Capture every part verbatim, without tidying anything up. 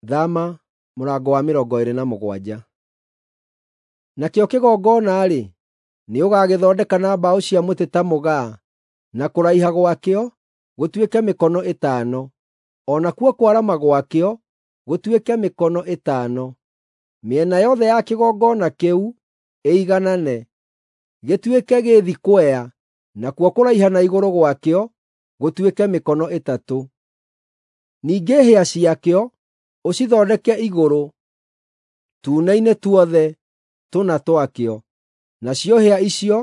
Thama mũrango wa mĩrongo ĩĩrĩ na mũgwanja. Nakĩo kĩgongona-rĩ, nĩũgagĩthondeka na mbaũ cia mũtĩ ta mũgaa, na kũraiha gwakĩo gũtuĩke mĩkono ĩtano, o nakuo kwarama gwakĩo gũtuĩke mĩkono ĩtano. Mĩena yothe ya kĩgongona kĩu ĩiganane, gĩtuĩke gĩthikwea, nakuo kũraiha na igũrũ gwakĩo gũtuĩke mĩkono ĩtatũ. Ningĩ hĩa ciakĩo ũcithondeke igũrũ tuune-inĩ tuothe tũna twakĩo, nacio hĩa icio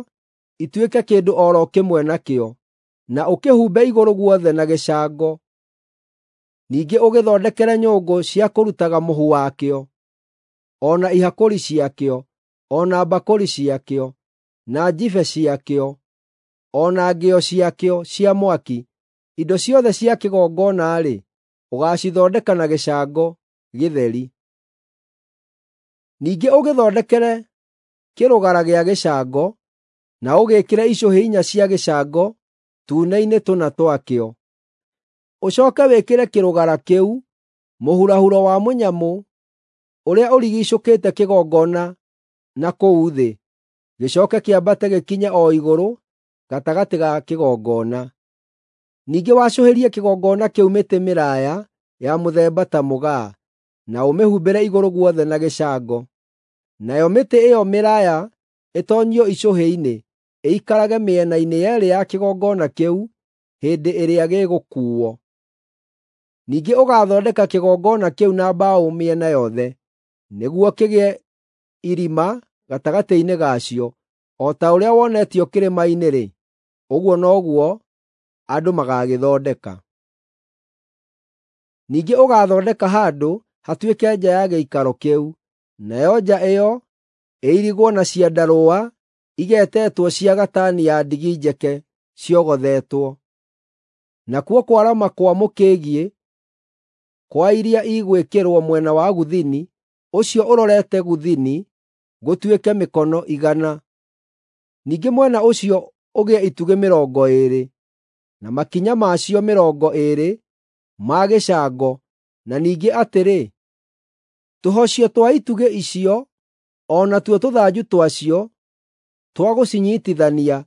ituĩke kĩndũ o ro kĩmwe nakĩo, na ũkĩhumbe igũrũ guothe na gĩcango. Ningĩ ũgĩthondekere nyũngũ cia kũrutaga mũhu wakĩo, o na ihakũri ciakĩo, o na mbakũri ciakĩo, na njibe ciakĩo, o na ngĩo ciakĩo cia mwaki. Indo ciothe cia kĩgongona-rĩ, ũgaacithondeka na gĩcango gĩtheri. Ningĩ ũgĩthondekere kĩrũgara gĩa gĩcango, na ũgĩĩkĩre icũhĩ inya cia gĩcango tuune-inĩ tũna twakĩo. Ũcooke wĩkĩre kĩrũgara kĩu mũhurahuro wa mũnyamũ ũrĩa ũrigiicũkĩte kĩgongona na kũu thĩ, gĩcooke kĩambate gĩkinye o igũrũ gatagatĩ ga kĩgongona. Ningĩ wacũhĩrie kĩgongona kĩu mĩtĩ mĩraaya ya mũthemba ta mũgaa, na ũmĩhumbĩre igũrũ guothe na gĩcango. Nayo mĩtĩ ĩyo mĩraaya ĩtoonyio icũhĩ-inĩ, ĩikarage mĩena-inĩ yeerĩ ya kĩgongona kĩu hĩndĩ ĩrĩa gĩgũkuuo. Ningĩ ũgaathondeka kĩgongona kĩu na mbaũ mĩena yothe, nĩguo kĩgĩe irima gatagatĩ-inĩ gacio, o ta ũrĩa wonetio kĩrĩma-inĩ-rĩ, ũguo noguo andũ magaagĩthondeka. Ningĩ ũgaathondeka handũ hatuĩke nja ya gĩikaro kĩu, nayo nja ĩyo ĩirigwo na ciandarũa igetetwo cia gatani ya ndigi njeke ciogothetwo. Nakuo kwarama kwa mũkĩgiĩ kwa iria igwĩkĩrwo mwena wa gũthini ũcio ũrorete gũthini gũtuĩke mĩkono igana. Ningĩ mwena ũcio ũgĩe itugĩ mĩrongo ĩĩrĩ, na makinya macio mĩrongo ĩĩrĩ ma gĩcango, na ningĩ atĩrĩ, tũhocio twa itugĩ icio o natuo tũthanju twacio twa gũcinyiitithania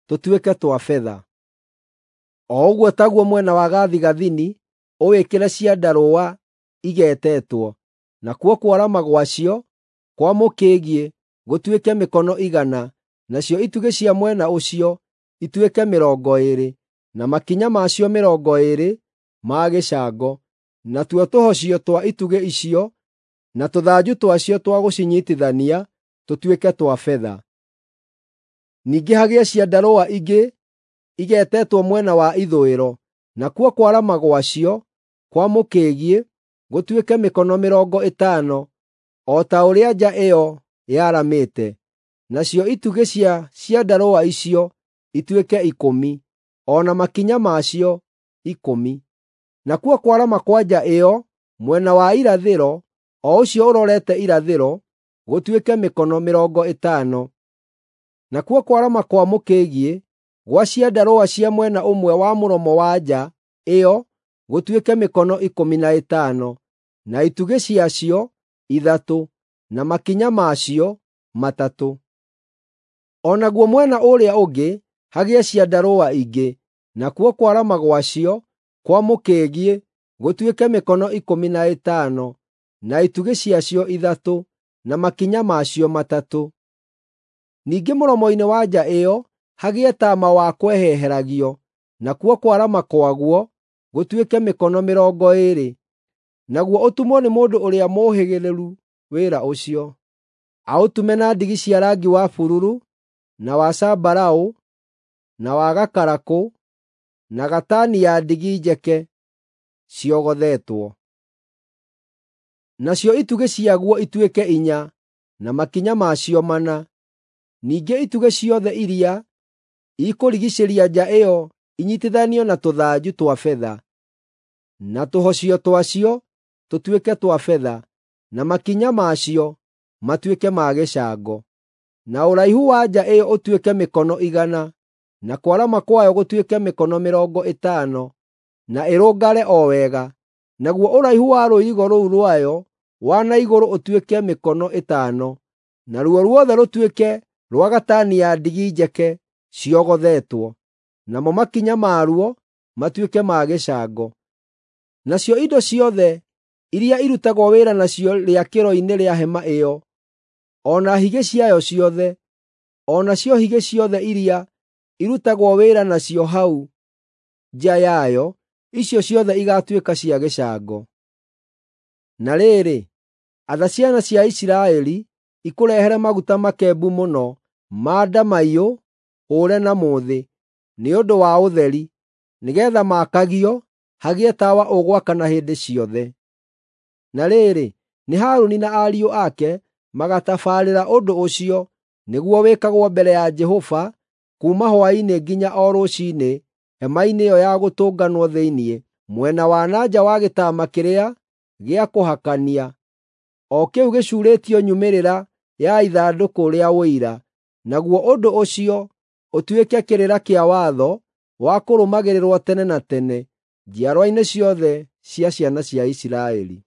tũtuĩke twa betha. O ũguo taguo mwena wa gathigathini ũwĩkĩre ciandarũa igetetwo, nakuo kwarama gwacio kwa mũkĩgiĩ gũtuĩke mĩkono igana, nacio itugĩ cia mwena ũcio ituĩke mĩrongo ĩĩrĩ, na makinya macio mĩrongo ĩĩrĩ ma gĩcango, natuo tũhocio twa itugĩ icio na tũthanju twacio twa gũcinyiitithania tũtuĩke twa betha. Ningĩ hagĩe ciandarũa ingĩ igetetwo mwena wa ithũĩro, nakuo kwarama gwacio kwa mũkĩgiĩ gũtuĩke mĩkono mĩrongo ĩtano, o ta ũrĩa nja ĩyo yaramĩte. Nacio itugĩ cia ciandarũa icio ituĩke ikũmi, o na makinya macio ikũmi. Nakuo kwarama kwa nja ĩyo mwena wa irathĩro, o ũcio ũrorete irathĩro, gũtuĩke mĩkono mĩrongo ĩtano. Nakuo kwarama kwa mũkĩgiĩ gwa ciandarũa cia mwena ũmwe wa mũromo wa nja ĩyo gũtuĩke mĩkono ikũmi na ĩtano, na itugĩ ciacio ithatũ, na makinya macio matatũ. O naguo mwena ũrĩa ũngĩ hagĩe ciandarũa ingĩ, nakuo kwarama gwacio kwa mũkĩgiĩ gũtuĩke mĩkono ikũmi na ĩtano, na itugĩ ciacio ithatũ, na makinya macio matatũ. Ningĩ mũromo-inĩ wa nja ĩyo hagĩe taama wa kweheheragio, nakuo kwarama kwaguo gũtuĩke mĩkono mĩrongo ĩĩrĩ, naguo ũtumwo nĩ mũndũ ũrĩa mũũhĩgĩrĩru wĩra ũcio. Aũtume na ndigi cia rangi wa bururu, na wa zambarau, na wa gakarakũ, na gatani ya ndigi njeke ciogothetwo. Nacio itugĩ ciaguo ituĩke inya, na makinya macio mana. Ningĩ itugĩ ciothe iria ikũrigiicĩria nja ĩyo inyiitithanio na tũthanju twa betha, na tũhocio twacio tũtuĩke twa betha, na makinya macio matuĩke ma gĩcango. Na ũraihu wa nja ĩyo ũtuĩke mĩkono igana, na kwarama kwayo gũtuĩke mĩkono mĩrongo ĩtano, na ĩrũngare o wega. Naguo ũraihu wa rũirigo rũu rwayo wa na igũrũ ũtuĩke mĩkono ĩtano, naruo ruothe rũtuĩke rwa gatani ya ndigi njeke ciogothetwo, namo makinya maruo matuĩke ma gĩcango. Nacio indo ciothe iria irutagwo wĩra nacio rĩakĩro-inĩ rĩa hema ĩyo, o na higĩ ciayo ciothe, o nacio higĩ ciothe iria irutagwo wĩra nacio hau nja yayo, icio ciothe igaatuĩka cia gĩcango. Na rĩrĩ, atha ciana cia Isiraeli ikũrehere maguta makembu mũno ma ndamaiyũ hũũre na mũthĩ, nĩ ũndũ wa ũtheri, nĩgeetha maakagio hagĩe tawa ũgwakana hĩndĩ ciothe. Na rĩrĩ, nĩ Harũni na ariũ ake magatabarĩra ũndũ ũcio, nĩguo wĩkagwo mbere ya Jehova kuuma hwaĩ-inĩ nginya o rũciinĩ hema-inĩ ĩyo ya Gũtũnganwo thĩinĩ, mwena wa na nja wa gĩtama kĩrĩa gĩa kũhakania, o kĩu gĩcuurĩtio nyumĩrĩra ya ithandũkũ rĩa Ũira. Naguo ũndũ ũcio ũtuĩke kĩrĩra kĩa watho wa kũrũmagĩrĩrwo tene na tene njiarwa-inĩ ciothe cia ciana cia Isiraeli.